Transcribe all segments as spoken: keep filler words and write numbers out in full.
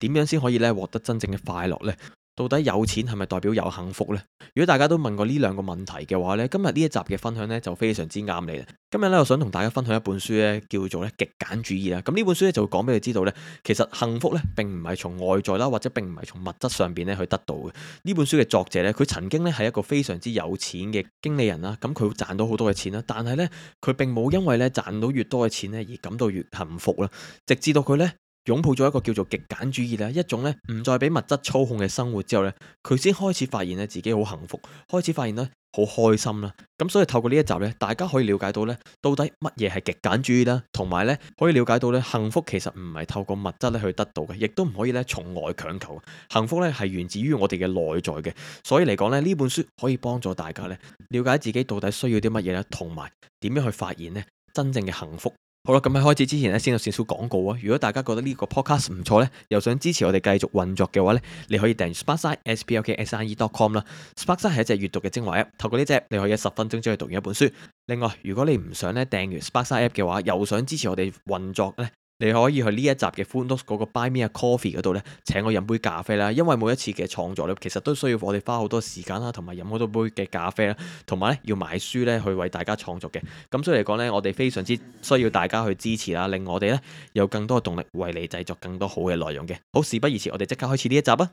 點樣先可以咧獲得真正嘅快樂呢？到底有錢係咪代表有幸福呢？如果大家都問過呢兩個問題嘅話呢，今日呢一集嘅分享呢就非常之啱你啦。今日呢，我想同大家分享一本書呢，叫做咧極簡主義啦。咁呢本書呢，就會講俾你知道呢，其實幸福呢並唔係從外在啦，或者並唔係從物質上邊咧去得到嘅。呢本書嘅作者呢，佢曾經呢係一個非常之有錢嘅經理人啦，咁佢賺到好多嘅錢啦，但係呢，佢並冇因為咧賺到越多嘅錢呢而感到越幸福啦，直至到佢呢，擁抱咗一個叫做極簡主義啦，一種咧唔再俾物質操控嘅生活之後咧，佢先開始發現咧自己好幸福，開始發現咧好開心啦。咁所以透過呢一集咧，大家可以了解到咧到底乜嘢係極簡主義啦，同埋咧可以了解到咧幸福其實唔係透過物質咧去得到嘅，亦都唔可以咧從外強求。幸福咧係源自於我哋嘅內在嘅。所以嚟講咧，呢本書可以幫助大家咧了解自己到底需要啲乜嘢咧，同埋點樣去發現咧真正嘅幸福。好啦，咁喺開始之前咧，先有少少廣告啊！如果大家覺得呢個 podcast 唔錯咧，又想支持我哋繼續運作嘅話咧，你可以訂閱 Sparkside s p l k s i e dot com 啦。Sparkside 係一隻閱讀嘅精華 app， 透過呢隻你可以喺十分鐘之內讀完一本書。另外，如果你唔想咧訂閱 Sparkside app 嘅話，又想支持我哋運作咧，你可以去呢一集嘅 Footnotes 嗰個 Buy Me a Coffee 嗰度咧，請我飲杯咖啡啦。因為每一次嘅創作咧，其實都需要我哋花好多時間啦，同埋飲好多杯嘅咖啡啦，同埋咧要買書咧去為大家創作嘅。咁所以嚟講咧，我哋非常之需要大家去支持啦，令我哋咧有更多嘅動力為你製作更多好嘅內容嘅。好，事不宜遲，我哋即刻開始呢一集啊！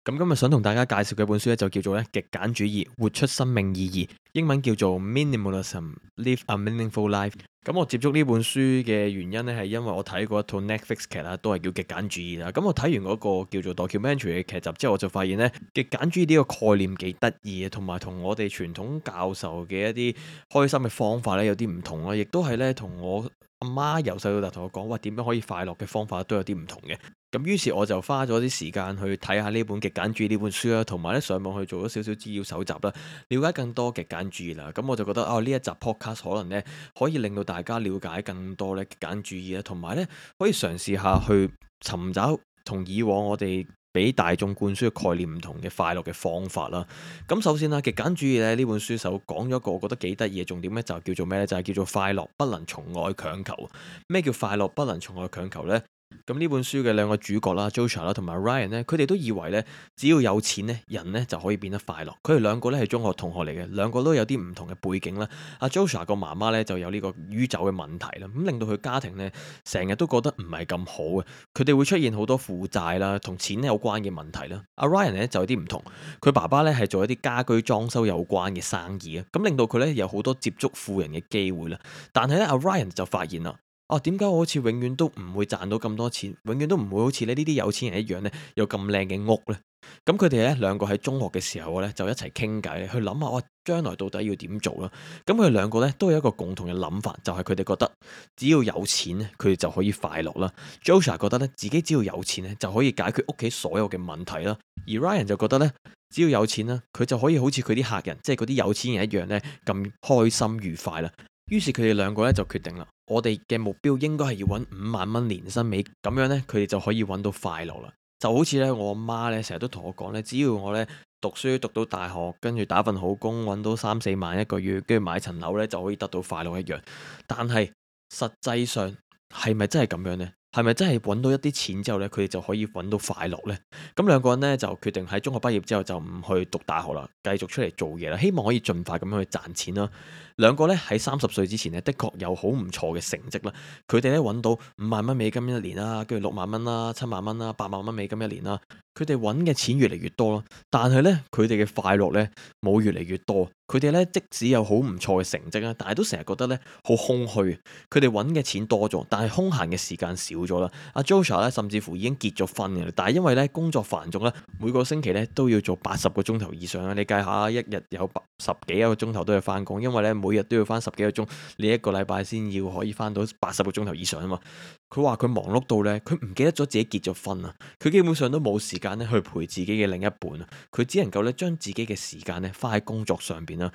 咁今日想同大家介紹嘅本書咧，就叫做咧極簡主義，活出生命意義，英文叫做 Minimalism: Live a Meaningful Life。咁我接觸呢本書嘅原因咧，係因為我睇過一套 Netflix 劇啦，都係叫極簡主義啦。咁我睇完嗰個叫做 documentary 嘅劇集之後，我就發現咧極簡主義呢個概念幾得意嘅，同埋同我哋傳統教授嘅一啲開心嘅方法咧有啲唔同啦，亦都係咧同我阿媽由細到大同我講話點樣可以快樂嘅方法都有啲唔同嘅。咁於是我就花咗啲時間去睇下呢本極簡主義呢本書啦，同埋咧上網去做咗少少資料搜集啦，了解更多極簡主義啦。咁我就覺得啊，呢一集 podcast 可能咧可以令到大家了解更多咧極簡主義啦，同埋咧可以嘗試下去尋找同以往我哋俾大眾灌輸嘅概念唔同嘅快樂嘅方法啦。咁首先啦，極簡主義咧呢本書首講咗一個我覺得幾得意嘅重點咧，就叫做咩咧？就係叫做快樂不能從外強求。咩叫快樂不能從外強求呢？咁呢本書嘅兩個主角啦 Joshua 啦同埋 Ryan 咧，佢哋都以為咧，只要有錢咧，人咧就可以變得快樂。佢哋兩個咧係中學同學嚟嘅，兩個都有啲唔同嘅背景啦。阿 Joshua 個媽媽咧就有呢個酗酒嘅問題啦，咁令到佢家庭咧成日都覺得唔係咁好嘅。佢哋會出現好多負債啦，同錢有關嘅問題啦。阿 Ryan 咧就有啲唔同，佢爸爸咧係做一啲家居裝修有關嘅生意啊，咁令到佢咧有好多接觸富人嘅機會啦。但係咧阿 Ryan 就發現啦。哦，點解我好似永遠都唔會賺到咁多錢，永遠都唔會好似咧呢啲有錢人一樣咧，有咁靚嘅屋呢？咁佢哋咧兩個喺中學嘅時候咧，就一齊傾偈咧，去諗下哇，將來到底要點做啦？咁佢哋兩個咧都有一個共同嘅諗法，就係佢哋覺得只要有錢咧，佢哋就可以快樂啦。Joshua 覺得咧自己只要有錢咧，就可以解決屋企所有嘅問題啦。而 Ryan 就覺得咧，只要有錢啦，佢就可以好似佢啲客人，即係嗰啲有錢人一樣咧，咁開心愉快啦。於是佢哋兩個咧就決定啦，我哋嘅目標應該係要揾五萬蚊年薪尾，咁樣咧佢哋就可以揾到快樂啦。就好似咧我阿媽咧成日都同我講咧，只要我咧讀書讀到大學，跟住打份好工，揾到三四萬一個月，跟住買層樓咧就可以得到快樂一樣。但係實際上係咪真係咁樣呢？係咪真係揾到一啲錢之後咧，佢哋就可以揾到快樂呢？咁兩個人咧就決定喺中學畢業之後就唔去讀大學啦，繼續出嚟做嘢啦，希望可以盡快咁樣去賺錢啦。兩個咧喺三十歲之前咧，的確有好唔錯嘅成績啦。佢哋咧揾到五萬蚊美金一年啦，跟住六萬蚊啦、七萬蚊啦、八萬蚊美金一年啦。佢哋揾嘅錢越嚟越多咯，但係咧佢哋嘅快樂咧冇越嚟越多。佢哋咧即使有好唔錯嘅成績啦，但係都成日覺得咧好空虛。佢哋揾嘅錢多咗，但係空閒嘅時間少咗啦。阿 Joshua 咧甚至乎已經結咗婚嘅，但係因為咧工作繁重啦，每個星期咧都要做八十個鐘頭以上啦。你計下，一日有十幾個鐘頭都要翻工，因為咧每日都要翻十幾個鐘，你一個禮拜先要可以翻到八十個鐘頭以上啊嘛。佢話佢忙碌到咧，佢唔記得咗自己結咗婚啊，佢基本上都冇時間咧去陪自己嘅另一半啊，佢只能夠咧將自己嘅時間咧花喺工作上邊啦。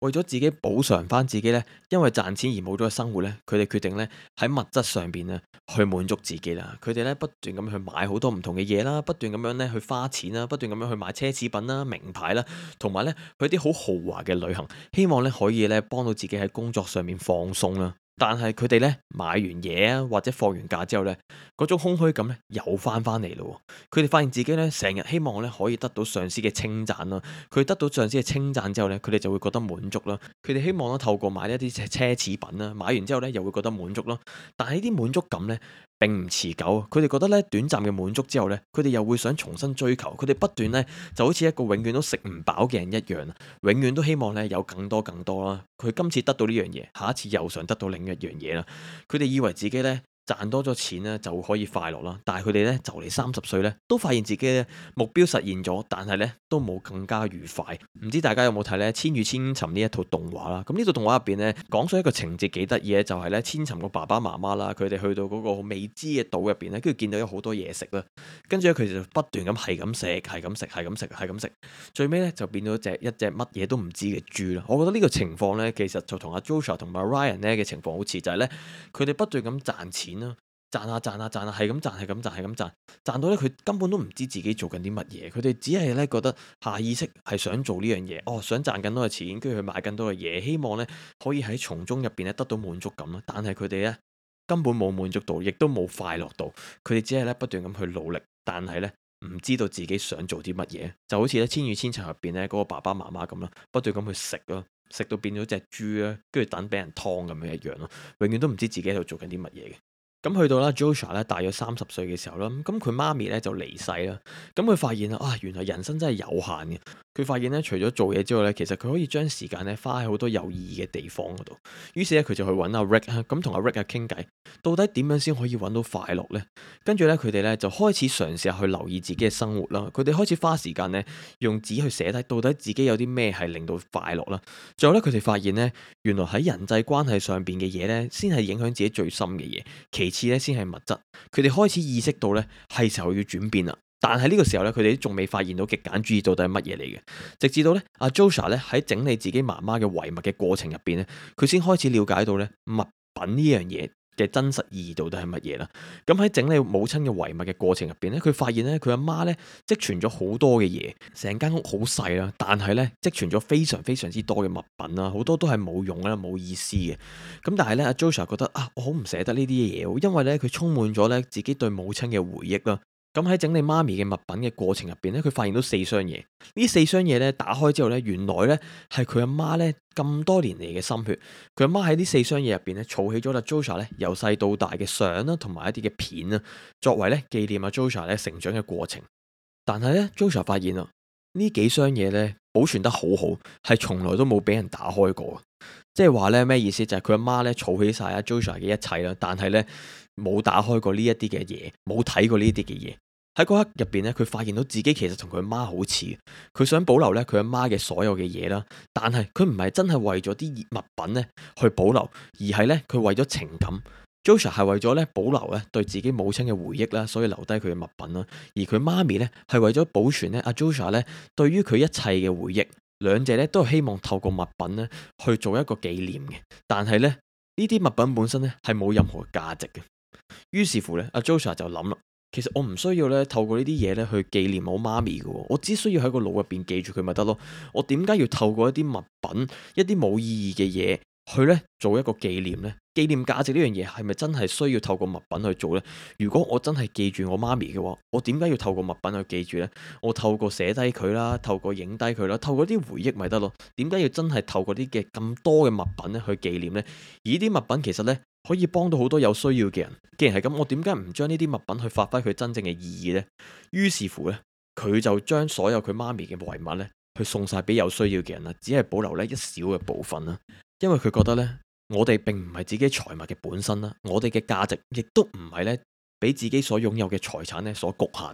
為咗自己補償翻自己呢，因為賺錢而冇咗嘅生活呢，佢哋決定呢喺物質上邊呢去滿足自己啦。佢哋呢不斷咁去買好多唔同嘅嘢啦，不斷咁樣呢去花錢啦，不斷咁樣去買奢侈品啦、名牌啦，同埋呢去啲好豪華嘅旅行，希望呢可以呢幫到自己喺工作上面放鬆啦。但係佢哋咧買完嘢啊，或者放完假之後咧，嗰種空虛感咧又翻翻嚟咯。佢哋發現自己咧成日希望咧可以得到上司嘅稱讚啦。佢得到上司嘅稱讚之後咧，佢哋就會覺得滿足啦。佢哋希望咧透過買一啲奢侈品啦，買完之後咧又會覺得滿足咯。但係呢啲滿足感咧並唔持久，佢哋覺得咧短暫嘅滿足之後咧，佢哋又會想重新追求。佢哋不斷咧就好似一個永遠都食唔飽嘅人一樣，永遠都希望咧有更多更多啦。佢今次得到呢樣嘢，下一次又想得到另一樣嘢啦。佢哋以為自己咧賺多咗錢咧就可以快樂啦，但係佢哋咧就嚟三十歲咧，都發現自己咧目標實現咗，但係咧都冇更加愉快。唔知大家有冇睇咧《千與千尋》呢一套動畫啦？咁呢套動畫入邊咧講咗一個情節幾得意嘅，就係咧千尋個爸爸媽媽啦，佢哋去到嗰個未知嘅島入邊咧，跟住見到有好多嘢食啦，跟住咧佢哋就不斷咁係咁食，係咁食，係咁食，係咁食，最尾咧就變咗隻一隻乜嘢都唔知嘅豬啦。我覺得呢個情況咧，其實就同阿 Joshua 同埋 Ryan 咧嘅情況好似，就係咧佢哋不斷咁賺錢啦。賺下賺下賺下，係咁賺，係咁賺，係咁賺，賺到咧佢根本都唔知自己做緊啲乜嘢，佢哋只係咧覺得下意識係想做呢樣嘢，哦，想賺更多嘅錢，跟住去買更多嘅嘢，希望咧可以喺從中入邊咧得到滿足感啦。但係佢哋咧根本冇滿足到，亦都冇快樂到，佢哋只係咧不斷咁去努力，但係咧唔知道自己想做啲乜嘢，就好似咧《千與千尋》入邊咧嗰個爸爸媽媽咁啦，不斷咁去食咯，食到變咗隻豬啦，跟住等俾人劏咁樣一樣咯，永遠都唔知自己喺度做緊啲乜嘢嘅。咁去到啦 Joshua 咧大約三十歲嘅時候啦，咁佢媽咪咧就離世啦。咁佢發現啊，原來人生真係有限嘅。佢發現咧，除咗做嘢之外咧，其實佢可以將時間咧花喺好多有意義嘅地方嗰度。於是咧，佢就去揾阿 Rick 咁同阿 Rick 啊傾偈，到底點樣先可以揾到快樂呢？跟住咧，佢哋咧就開始嘗試下去留意自己嘅生活啦。佢哋開始花時間咧用紙去寫低，到底自己有啲咩係令到快樂啦。最後咧，佢哋發現咧，原來喺人際關係上邊嘅嘢咧，先係影響自己最深嘅嘢。其次咧，先係物質。佢哋開始意識到咧，係時候要轉變啦。但係呢個時候咧，佢哋都仲未發現到極簡主義到底係乜嘢嚟嘅。直至到咧，阿 Joshua 咧喺整理自己媽媽嘅遺物嘅過程入邊咧，佢先開始了解到咧物品呢樣嘢嘅真實意義到底係乜嘢啦。咁喺整理母親嘅遺物嘅過程入邊咧，佢發現咧佢阿媽咧積存咗好多嘅嘢，成間屋好細啦，但係咧積存咗非常非常之多嘅物品啦，好多都係冇用啦、冇意思嘅。咁但係咧，阿 Joshua 覺得啊，我好唔捨得呢啲嘢，因為咧佢充滿咗咧自己對母親嘅回憶啦。咁喺整理媽咪嘅物品嘅過程入邊咧，佢發現到四箱嘢。呢四箱嘢咧打開之後咧，原來咧係佢阿媽咧咁多年嚟嘅心血。佢阿媽喺呢四箱嘢入邊咧，儲起咗阿 Joshua 咧由細到大嘅相啦，同埋一啲嘅片啦，作為咧紀念阿 Joshua 咧成長嘅過程。但係咧 Joshua 發現啊，呢幾箱嘢咧保存得好好，係從來都冇俾人打開過。即係話咧咩意思？就係佢阿媽咧儲起晒阿 Joshua 嘅一切啦，但係咧冇打開過呢一啲嘅嘢，冇睇過呢啲嘅嘢。喺嗰刻入邊咧，佢發現到自己其實同佢阿媽好似，佢想保留咧佢阿媽嘅所有嘅嘢啦，但係佢唔係真係為咗啲物品咧去保留，而係咧佢為咗情感。Joshua 係為咗咧保留咧對自己母親嘅回憶啦，所以留低佢嘅物品啦。而佢媽咪咧係為咗保存咧阿 Joshua 咧對於佢一切嘅回憶，兩者咧都係希望透過物品咧去做一個紀念嘅。但係咧呢啲物品本身咧係冇任何價值嘅。於是乎咧，阿 Joshua 就諗啦。其實我唔需要咧透過呢啲嘢咧去紀念我媽咪嘅，我只需要喺個腦入邊記住佢咪得咯。我點解要透過一啲物品、一啲冇意義嘅嘢去咧做一個紀念呢？紀念價值呢樣嘢係咪真係需要透過物品去做呢？如果我真係記住我媽咪嘅話，我點解要透過物品去記住呢？我透過寫低佢啦，透過影低佢啦，透過啲回憶咪得咯？點解要真係透過啲嘅咁多嘅物品咧去紀念呢？而呢啲物品其實呢，可以幫到好多有需要嘅人。既然係咁，我點解唔將呢啲物品去發揮佢真正嘅意義呢？於是乎呢，佢就將所有佢媽咪嘅遺物呢，去送晒俾有需要嘅人啦，只係保留呢一小嘅部分啦。因為佢覺得呢，我哋並唔係自己財物嘅本身啦，我哋嘅價值亦都唔係呢，俾自己所擁有嘅財產呢所局限。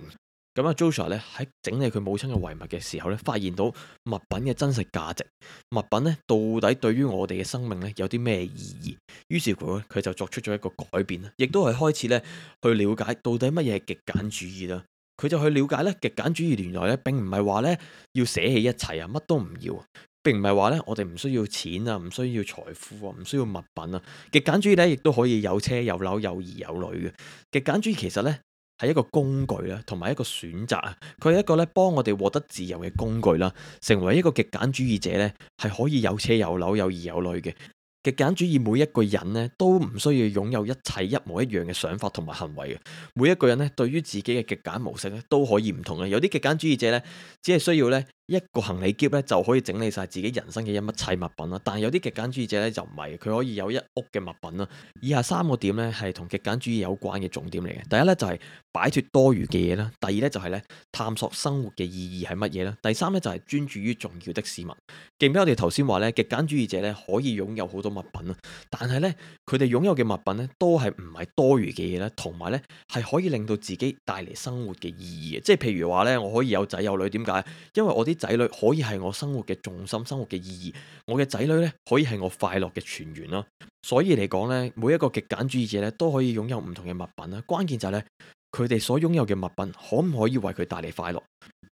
咁啊 Joshua 咧喺整理佢母親嘅遺物嘅時候咧，發現到物品嘅真實價值，物品咧到底對於我哋嘅生命咧有啲咩意義？於是乎佢就作出咗一個改變啦，亦都係開始咧去了解到底乜嘢係極簡主義啦。佢就去了解咧極簡主義原來咧並唔係話咧要捨棄一切啊，乜都唔要。並唔係話咧我哋唔需要錢啊，唔需要財富啊，唔需要物品啊。極簡主義咧亦都可以有車有樓有兒有女嘅。極簡主義其實咧係一個工具啦，同埋一個選擇啊。佢係一個咧幫我哋獲得自由嘅工具啦。成為一個極簡主義者咧係可以有車有樓有兒有女嘅。極簡主義每一個人咧都唔需要擁有一切一模一樣嘅想法同埋行為嘅。每一個人咧對於自己嘅極簡模式咧都可以唔同嘅。有啲極簡主義者咧只係需要咧一個行李篋咧就可以整理晒自己人生嘅一切物品啦。但係有啲極簡主義者咧就唔係，佢可以有一屋嘅物品啦。以下三個點咧係同極簡主義有關嘅重點嚟嘅。第一咧就係擺脫多餘嘅嘢啦。第二咧就係咧探索生活嘅意義係乜嘢啦。第三咧就係專注於重要的事物。記唔記得我哋頭先話咧極簡主義者咧可以擁有好多物品啦，但係咧佢哋擁有嘅物品咧都係唔係多餘嘅嘢咧，同埋咧係可以令到自己帶嚟生活嘅意義嘅。即係譬如話咧，我可以有仔有女，點解？因為我啲仔女可以係我生活嘅重心，生活嘅意義。我嘅仔女咧可以係我快樂嘅泉源啦。所以嚟講咧，每一個極簡主義者咧都可以擁有唔同嘅物品啦。關鍵就係咧，佢哋所擁有嘅物品可唔可以為佢帶嚟快樂？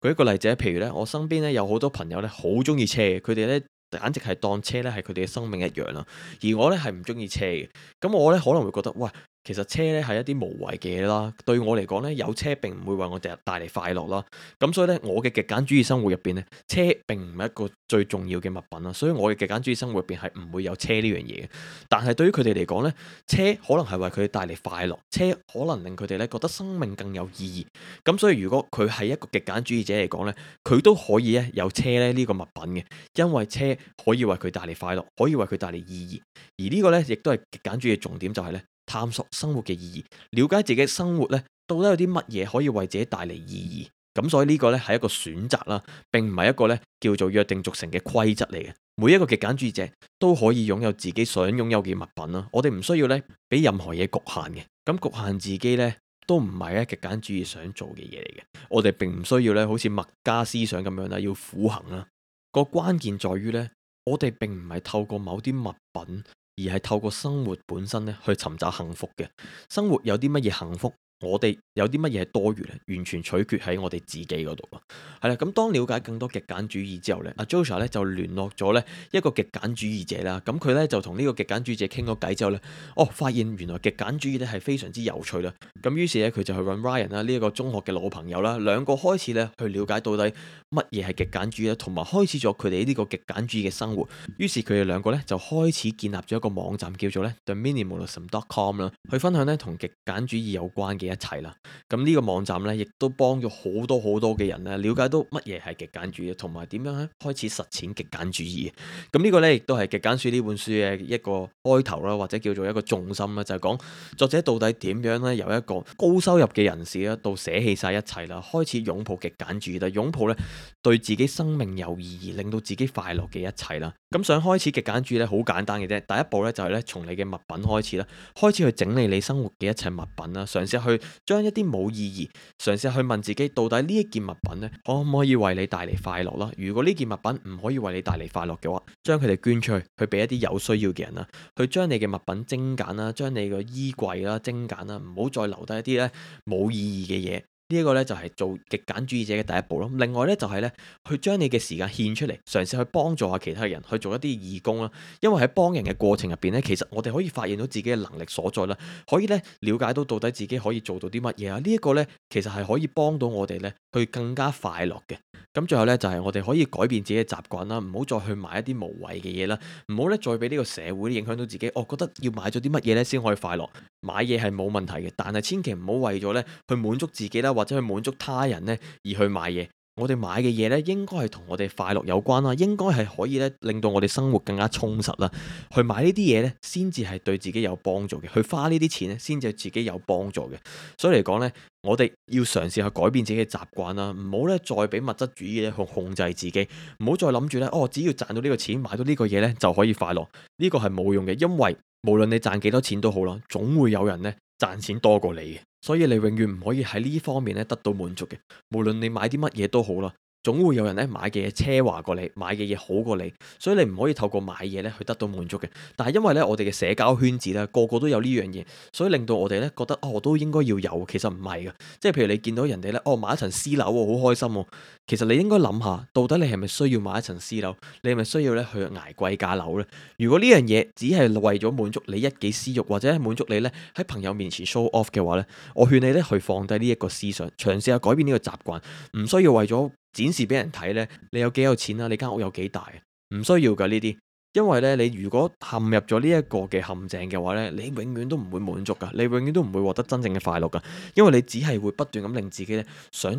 舉一個例子，譬如咧，我身邊咧有好多朋友咧好中意車嘅，佢哋咧簡直係當車咧係佢哋嘅生命一樣啦。而我咧係唔中意車嘅，咁我咧可能會覺得，喂，其實車咧係一啲無謂嘅嘢啦。對我嚟講咧，有車並唔會為我哋帶嚟快樂啦。咁所以咧，我嘅極簡主義生活入邊咧，車並唔係一個最重要嘅物品啦。所以我嘅極簡主義生活入邊係唔會有車呢樣嘢嘅。但係對於佢哋嚟講咧，車可能係為佢哋帶嚟快樂，車可能令佢哋咧覺得生命更有意義。咁所以如果佢係一個極簡主義者嚟講咧，佢都可以咧有車咧呢個物品嘅，因為車可以為佢帶嚟快樂，可以為佢帶嚟意義。而呢個咧亦都係極簡主義嘅重點，就係咧探索生活嘅意義，了解自己生活咧到底有啲乜嘢可以為自己帶嚟意義。咁所以呢個咧係一個選擇啦，並唔係一個咧叫做約定俗成嘅規則嚟嘅。每一個極簡主義者都可以擁有自己想擁有嘅物品啦。我哋唔需要咧俾任何嘢局限嘅。咁局限自己咧都唔係咧極簡主義想做嘅嘢嚟嘅。我哋並唔需要咧好似墨家思想咁樣啦，要苦行啦。個關鍵在於咧，我哋並唔係透過某啲物品，而係透過生活本身咧去尋找幸福嘅。生活有啲乜嘢幸福？我哋有啲乜嘢係多餘咧？完全取決喺我哋自己嗰度咯。係啦，咁當了解更多極簡主義之後咧，阿 Joshua 咧就聯絡咗咧一個極簡主義者啦。咁佢咧就同呢個極簡主義者傾咗偈之後咧，哦，發現原來極簡主義咧係非常之有趣啦。咁於是咧佢就去揾 Ryan 啦，呢一個中學嘅老朋友啦，兩個開始咧去了解到底乜嘢係極簡主義啦，同埋開始咗佢哋呢個極簡主義嘅生活。於是佢哋兩個咧就開始建立咗一個網站叫做咧 The Minimalism dot com 啦，去分享咧同極簡主義有關嘅一齊啦。咁呢個網站咧，亦都幫咗好多好多嘅人咧，了解到乜嘢係極簡主義，同埋點樣咧開始實踐極簡主義。咁呢個咧，亦都係極簡主義呢本書嘅一個開頭啦，或者叫做一個重心啦，就係講作者到底點樣咧由一個高收入嘅人士啦，到捨棄晒一切啦，開始擁抱極簡主義啦，擁抱咧對自己生命有意義，令到自己快樂嘅一切啦。咁想開始極簡主義咧，好簡單嘅啫，第一步咧就係咧從你嘅物品開始啦，開始去整理你生活嘅一切物品啦，嘗試去將一啲冇意義，嘗試去問自己到底呢一件物品咧可唔可以為你帶嚟快樂啦？如果呢件物品唔可以為你帶嚟快樂嘅話，將佢哋捐出去，去俾一啲有需要嘅人啦，去將你嘅物品精簡啦，將你個衣櫃啦精簡啦，唔好再留低一啲咧冇意義嘅嘢。呢一個咧就係做極簡主義者嘅第一步咯。另外咧就係咧去將你嘅時間獻出嚟，嘗試去幫助下其他人，去做一啲義工啦。因為喺幫人嘅過程入邊咧，其實我哋可以發現到自己嘅能力所在啦，可以咧了解到到底自己可以做到啲乜嘢啊。呢一個咧其實係可以幫到我哋咧去更加快樂嘅。咁最後咧就係我哋可以改變自己嘅習慣啦，唔好再去買一啲無謂嘅嘢啦，唔好咧再俾呢個社會影響到自己。我覺得要買咗啲乜嘢咧先可以快樂，買嘢係冇問題嘅，但係千祈唔好為咗咧去滿足自己啦，或者去滿足他人咧而去買嘢。我哋買嘅嘢咧，應該係同我哋快樂有關啦，應該係可以咧令到我哋生活更加充實啦。去買呢啲嘢咧，先至係對自己有幫助嘅。去花呢啲錢咧，先至係自己有幫助嘅。所以嚟講咧，我哋要嘗試去改變自己嘅習慣啦，唔好咧再俾物質主義咧去控制自己，唔好再諗住咧哦，只要賺到呢個錢，買到呢個嘢咧就可以快樂。呢個係冇用嘅，因為無論你賺幾多錢都好啦，總會有人咧賺錢多過你嘅。所以你永遠唔可以喺呢方面咧得到滿足嘅，無論你買啲乜嘢都好啦，總會有人咧買嘅嘢奢華過你，買嘅嘢好過你，所以你唔可以透過買嘢咧去得到滿足嘅。但係因為咧我哋嘅社交圈子咧個個都有呢樣嘢，所以令到我哋咧覺得哦我都應該要有，其實唔係嘅。即係譬如你見到人哋咧哦買一層私樓喎，好開心喎，其實你應該諗下，到底你係咪需要買一層私樓？你係咪需要咧去捱貴價樓咧？如果呢樣嘢只係為咗滿足你一己私欲，或者滿足你咧喺朋友面前 show off 嘅話咧，我勸你咧去放低呢一個思想，嘗試下改變呢個習慣，唔需要為咗展示俾人睇咧，你有幾有錢啊？你間屋有幾大啊？唔需要噶呢啲，因為咧你如果陷入咗呢一個嘅陷阱嘅話咧，你永遠都唔會滿足噶，你永遠都唔會獲得真正嘅快樂噶，因為你只係會不斷咁令自己咧想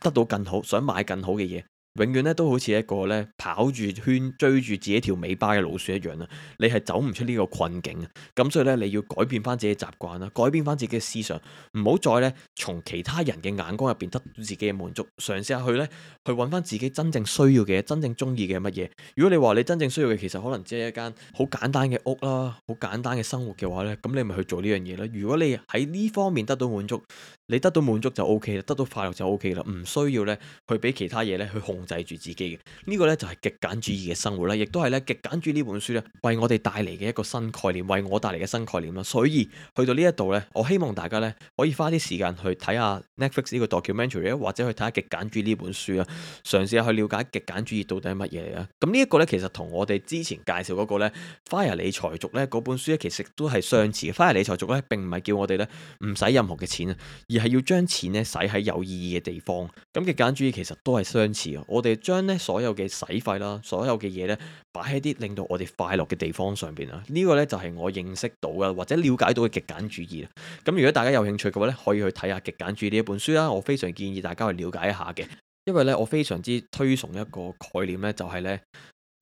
得到更好，想買更好嘅嘢。永遠咧都好似一個咧跑住圈追住自己條尾巴嘅老鼠一樣啦，你係走唔出呢個困境。咁所以咧你要改變翻自己嘅習慣啦，改變翻自己嘅思想，唔好再咧從其他人嘅眼光入邊得到自己嘅滿足，嘗試下去咧去揾翻自己真正需要嘅嘢，真正中意嘅乜嘢。如果你話你真正需要嘅其實可能只係一間好簡單嘅屋啦，好簡單嘅生活嘅話咧，咁你咪去做呢樣嘢啦。如果你喺呢方面得到滿足，你得到滿足就 O K 啦，得到快樂就 O K 啦，唔需要咧去俾其他嘢咧去控制住自己嘅。呢個咧就係極簡主義嘅生活啦，亦都係咧極簡主義呢本書咧為我哋帶嚟嘅一個新概念，為我帶嚟嘅新概念啦。所以去到呢一度咧，我希望大家咧可以花啲時間去睇下 Netflix 呢個 documentary，或者去睇下極簡主義呢本書啊，嘗試下去了解極簡主義到底係乜嘢嚟啊。咁呢一個咧其實同我哋之前介紹嗰個咧 Fire 理財族咧嗰本書咧其實都係相似嘅。Fire 理財族咧並唔係叫我哋咧唔使任何嘅錢啊，而係要將錢咧使喺有意義嘅地方。咁極簡主義其實都係相似嘅，我哋將咧所有嘅使費啦，所有嘅嘢咧擺喺啲令到我哋快樂嘅地方上邊啊。呢個咧就係我認識到嘅或者了解到嘅極簡主義啦。咁如果大家有興趣嘅話咧，可以去睇下極簡主義呢一本書啦。我非常建議大家去了解一下嘅，因為咧我非常之推崇一個概念咧，就係咧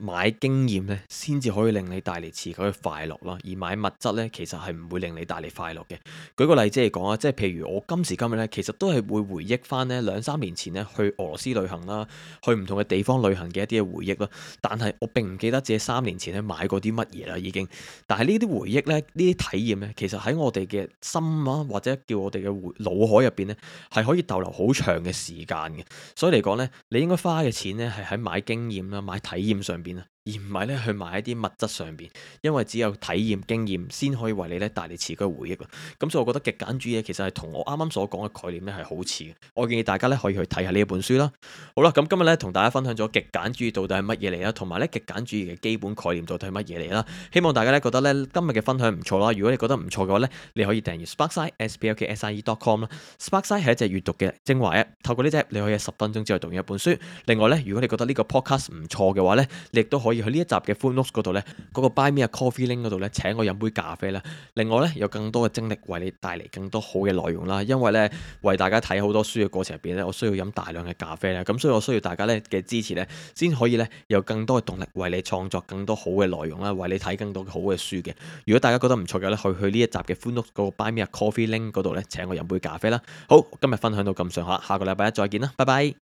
買經驗咧，先至可以令你帶嚟持久嘅快樂啦。而買物質咧，其實係唔會令你帶嚟快樂嘅。舉個例子嚟講啊，即係譬如我今時今日咧，其實都係會回憶翻咧兩三年前咧去俄羅斯旅行啦，去唔同嘅地方旅行嘅一啲嘅回憶啦。但係我並唔記得自己三年前咧買過啲乜嘢啦，已經。但係呢啲回憶咧，呢啲體驗咧，其實喺我哋嘅心啊，或者叫我哋嘅腦海入邊咧，係可以逗留好長嘅時間嘅。所以嚟講咧，你應該花嘅錢咧係喺買經驗啦、買體驗上邊啊，而唔係咧去買一啲物質上邊，因為只有體驗經驗先可以為你咧帶嚟持久嘅回憶啊。咁所以我覺得極簡主義其實係同我啱啱所講嘅概念咧係好似嘅。我建議大家咧可以去睇下呢一本書啦。好啦，咁今日咧同大家分享咗極簡主義到底係乜嘢嚟啦，同埋咧極簡主義嘅基本概念到底係乜嘢嚟啦。希望大家咧覺得咧今日嘅分享唔錯啦。如果你覺得唔錯嘅話咧，你可以訂閱 Sparkside s p l k s i e dot com 啦。Sparkside 係一隻閱讀嘅精華 app，透過呢隻 app 你可以喺十分鐘之內讀完一本書。另外咧，如果你覺得呢個 podcast 唔錯嘅話咧，你亦都可以去呢一集嘅 full notes 嗰度咧，嗰個 Buy Me a Coffee link 嗰度咧，請我飲杯咖啡啦。另外咧，有更多嘅精力為你帶嚟更多好嘅內容啦。因為咧，為大家睇好多書嘅過程入邊咧，我需要飲大量嘅咖啡啦。咁所以我需要大家咧嘅支持咧，先可以咧有更多嘅動力為你創作更多好嘅內容啦，為你睇更多好嘅書嘅。如果大家覺得唔錯嘅咧，去去呢一集嘅 full notes 嗰個 Buy Me a Coffee link 嗰度咧，請我飲杯咖啡啦。好，今日分享到咁上下，下個禮拜一再見啦，拜拜。